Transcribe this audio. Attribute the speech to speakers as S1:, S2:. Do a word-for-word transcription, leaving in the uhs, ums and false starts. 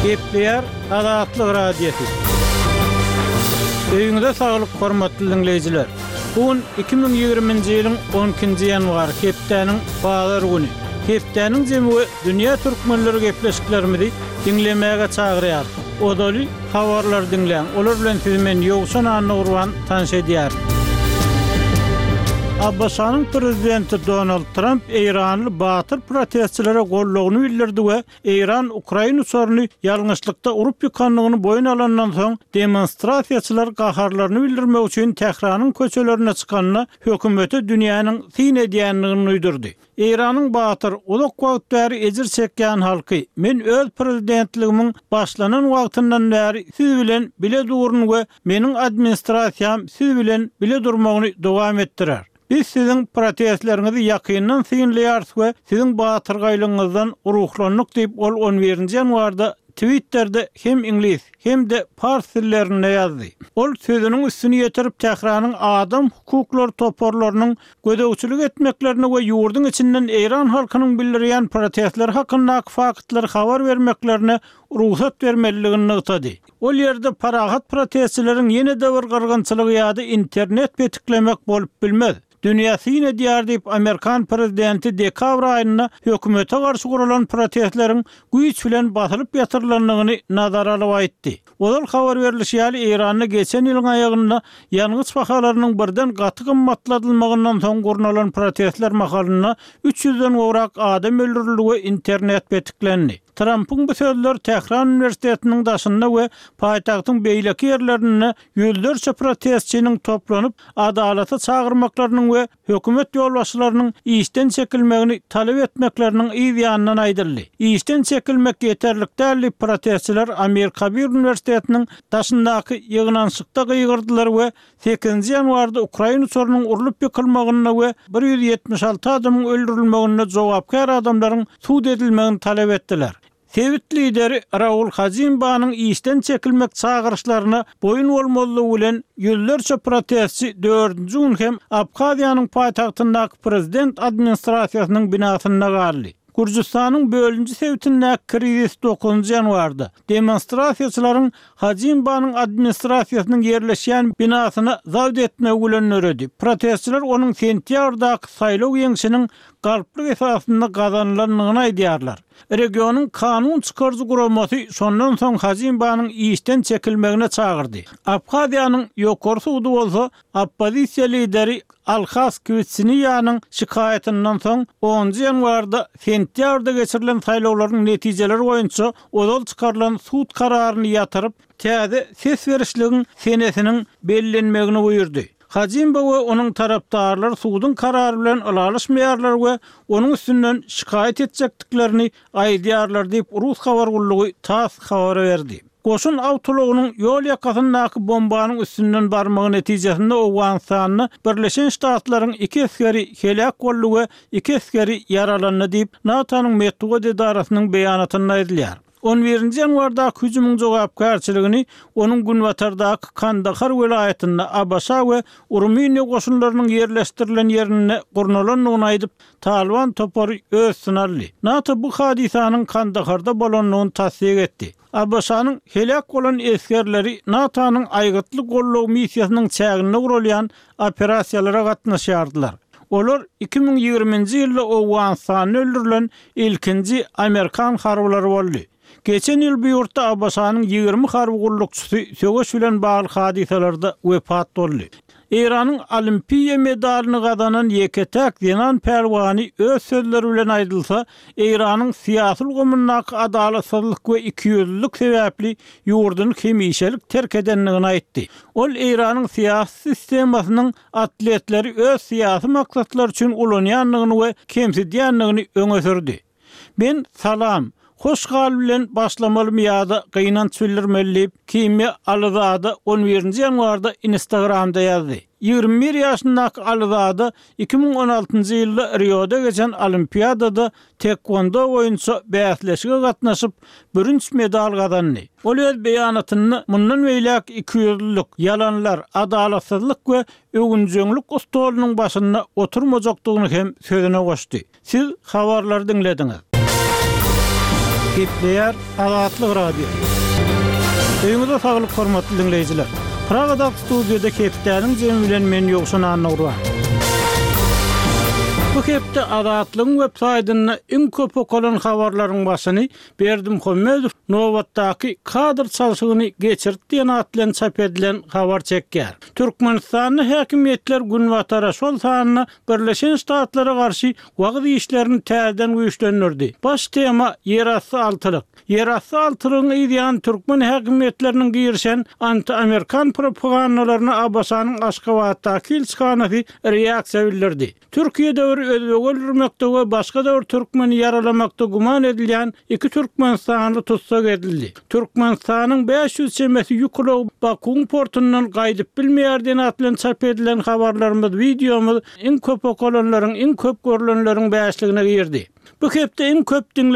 S1: Gepleýär Azatlyk Radiosy. Öýüňize saglyk, hormatly diňleýjiler. Bu gün iki müň ýigriminji ýylyň on ikinji ýanwary, hepdäniň bazar güni. Hepdäniň jemi we dünýä türkmenleri gepleşiklerimizi diňlemäge çagyrýar. Ozaly habarlary diňläň. Olar bilen sizi men Ýowşan Annagurban tanyş edýärin. ABŞ-nyň prezidenti Donald Tramp Eýranly batyr protestçilere goldawyny bildirdi we Eýran Ukraina uçaryny ýalňyşlykda urup ýykandygyny boýun alandan soň demonstrasiýaçylar gaharlaryny bildirmek üçin Tähranyň köçelerine çykanda hökümete dünýäniň syn edýändigini duýdurdy. Eýranyň batyr uzak wagt bäri ejir çekýän halky, men öz prezidentligimiň başlanan wagtyndan bäri siz bilen bile durun we meniň administrasiýam siz bilen bile durmagyny dowam etdirer. Biz siziň protestleriňizi ýakyndan synlaýarys we siziň batyrgaýlygyňyzdan ruhlandyk diýip ol on birinji ýanwarda Twitter'de hem iňlis hem de pars dillerinde ýazdy. Ol sözüniň üstüni ýetirip Tähranyň adam hukuklary toparlarynyň gözegçilik etmeklerini we ýurduň içinden Eýran halkynyň bildirýän protestleri hakyndaky faktlary habar bermeklerine rugsat bermelidigini nygtady. Ol ýerde parahat protestçileriň ýene-de bir gyrgynçylygy ýa-da internet petiklemek bolup bilmez. Dünýä syn edýär diýip Amerikan prezidenti dekabr aýynda hökümete garşy guralan protestleriň güýç bilen basylyp ýatyrylandygyny nazara alyp aýtdy. Ozal habar berilişi ýaly Eýranda geçen ýylyň aýagynda ýangyç bahalarynyň birden gaty gymmatladylmagyndan soň gurnalan protestler mahalynda üç ýüzden gowrak adam öldürildi we internet petiklendi. Trumpyň bu sözleri Tähran Uniwersitetiniň daşynda we paýtagtyň beýleki ýerlerinde ýüzlerçe protestçiniň toplanyp adalata çagyrmaklarynyň we hökümet ýolbaşçylarynyň işden çekilmegini talap etmekleriniň yz ýanyndan aýdyldy. Işden çekilmek ýeterlik däl diýip protestçiler Amir Kabir Uniwersitetiniň daşyndaky ýygnanyşykda gygyrdylar we sekizinji ýanwarda Ukraina uçarynyň urlup ýykylmagynda we bir ýüz ýetmiş alty adamyň öldürilmeginde jogapkär adamlaryň sud edilmegini talap etdiler. Sebit lideri Raul Hajimbanyň işden çekilmek çagyryşlaryna boýun bolmazlygy bilen ýüzlerçe protestçi dördünji gün hem Abhaziýanyň paýtagtyndaky prezident administrasiýasynyň binasynda galdy. Gürjüstanyň bölünji sebitindäki krizis dokuzynjy ýanwarda demonstrasiýaçylaryň Hajimbanyň administrasiýasynyň ýerleşýän binasyna zabt etmegi bilen döredi. Protestçiler onuň sentýabrdaky saýlaw ýeňşiniň galplyk esasynda gazanylandygyny aýdýarlar. Regionyň kanun çykaryjy guramasy şondan soň Hajimbanyň işden çekilmegine çagyrdy. Abhaziýanyň ýokary sudy bolsa oppozisiýa lideri Alhas Kwitsiniýanyň şikaýatyndan soň onunjy ýanwarda sentýabrda geçirilen saýlawlaryň netijeleri boýunça ozal çykarylan sud kararyny ýatyryp, täze ses berişligiň senesiniň bellenmegini buýurdy. Hajimba we onuň tarapdarlary suduň karary bilen ylalaşmaýarlar we onuň üstünden şikaýat etjekdiklerini aýdýarlar diýip Rus habar gullugy TASS habar berdi. Goşun awtoulagynyň ýol ýakasyndaky bombanyň üstünden barmagy netijesinde Owganystanda Birleşen Ştatlaryň iki esgeri heläk boldy we iki esgeri ýaralandy diýip NATO-nyň metbugat edarasynyň beýanatynda aýdylýar. on birinji ýanwardaky hüjümiň jogapkärçiligini onuň günbatardaky Kandahar welaýatynda ABŞ we Rumyniýa goşunlarynyň ýerleşdirilen ýerinde gurnalandygyny aýdyp, Taliban topary öz üstüne aldy. NATO bu hadysanyň Kandaharda bolandygyny tassyk etdi. ABŞ-nyň heläk bolan esgerleri NATO-nyň aýgytly goldaw missiýasynyň çäginde guralýan operasiýalara gatnaşýardylar. Olar iki müň ýigriminji ýylda Owganystanda öldürilen ilkinji Amerikan harbylary boldy. Geçen ýyl bu ýurtda ABŞ-nyň ýigrimi harby gullukçysy söweş bilen bagly hadysalarda wepat boldy. Eýranyň olimpiýa medalyny gazanan ýeke-täk zenan pälwany öz sözleri bilen aýdylsa, Eýranyň syýasy ulgamyndaky adalatsyzlyk we ikiýüzlülik sebäpli ýurduny hemişelik terk edendigini aýtdy. Ol Eýranyň syýasy sistemasynyň atletleri öz syýasy maksatlar üçin ulanýandygyny we kemsidýändigini öňe sürdi. Men salam, hoş gal bilen başlamalymy ýa-da gynanç bildirmeli diýip Kimýa Alyzada on birinji ýanwarda Instagramda ýazdy. Ýigrimi bir ýaşyndaky Alyzada iki müň on altynjy ýylda Rioda geçen olimpiadada tekvondo boýunça bäsleşige gatnaşyp, bürünç medal gazandy. Ol öz beýanatynda mundan beýläk ikiýüzlülük, ýalanlar, adalatsyzlyk we öwünjeňlik stolunyň başynda oturmajakdygyny hem sözüne goşdy. Siz habarlary diňlediňiz. Gepleýär Azatlyk Radiosy. Öýüňize saglyk hormatly diňleýjiler. Pragadaky studiýada hepdäniň jemi bilen men Ýowşan Annagurban. Bu hepde Azatlygyň web saýtynda iň köp okalan habarlaryň başyny Berdimuhamedow nobatdaky kadr çalşygyny geçirdi diýen at bilen çap edilen habar çekýär. Türkmenistanda häkimiýetler Günbatara, şol sanda Birleşen Ştatlara garşy wagyz işlerini täzeden güýçlendirdi. Baş tema Ýerasty altylyk. Ýerasty altylygyň yz ýany türkmen häkimiýetleriniň girişen anti-amerikan propagandalaryna ABŞ-nyň Aşgabatdaky ilçihanasy reaksiýa bildirdi. Türkiýede bir özbegi öldürmekde we başga-da bir türkmeni ýaralamakda güman edilýän iki türkmenistanly tussag edildi. Türkmenistanyň bäş ýüz çemesi ýük ulagy Bakuwyň portundan gaýdyp bilmeýär diýen at bilen çap edilen habarlarymyz, wideomyz iň köp okalanlaryň, iň köp görlenleriň bäşligine girdi. Bu hepde iň köp diňlenen